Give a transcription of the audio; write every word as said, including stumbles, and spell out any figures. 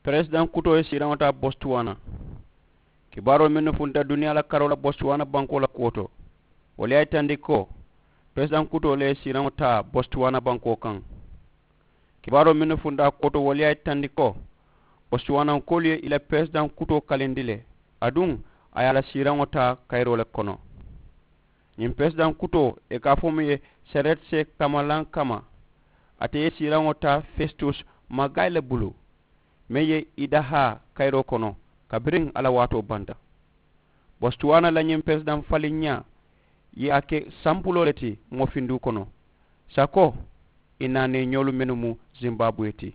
Peresidaŋ kutoo ye siiraŋo taa bostuwaana. Kibaaroo mennu funta duniyaa la karoo la bostuwaana bankoo la kuwo to, wolu ye a yitandi ko peresidaŋ kutoo le ye siiraŋo taa bostuwaana bankoo kaŋ. Kibaaroo mennu funta a kuwo to wolu ye a yitandi ko bostuwaanankoolu ye i la peresidaŋ kutoo kalindi le, aduŋ a ye a la siiraŋo taa kayiroo le kono. Ñiŋ peresidaŋ kutoo ì ka a fo muŋ ye, seretse kamalankama, ate ye siiraŋo taa festus magayi le bulu, meŋ ye i dahaa kayiroo kono kabiriŋ a la waatoo banta. Bostuwaana la ñiŋ peresidaŋ faliŋ ñaa ye a ke sampuloo le ti moofinduu kono, sako ì naaneeñoolu mennu mu zimbaabuwe ti.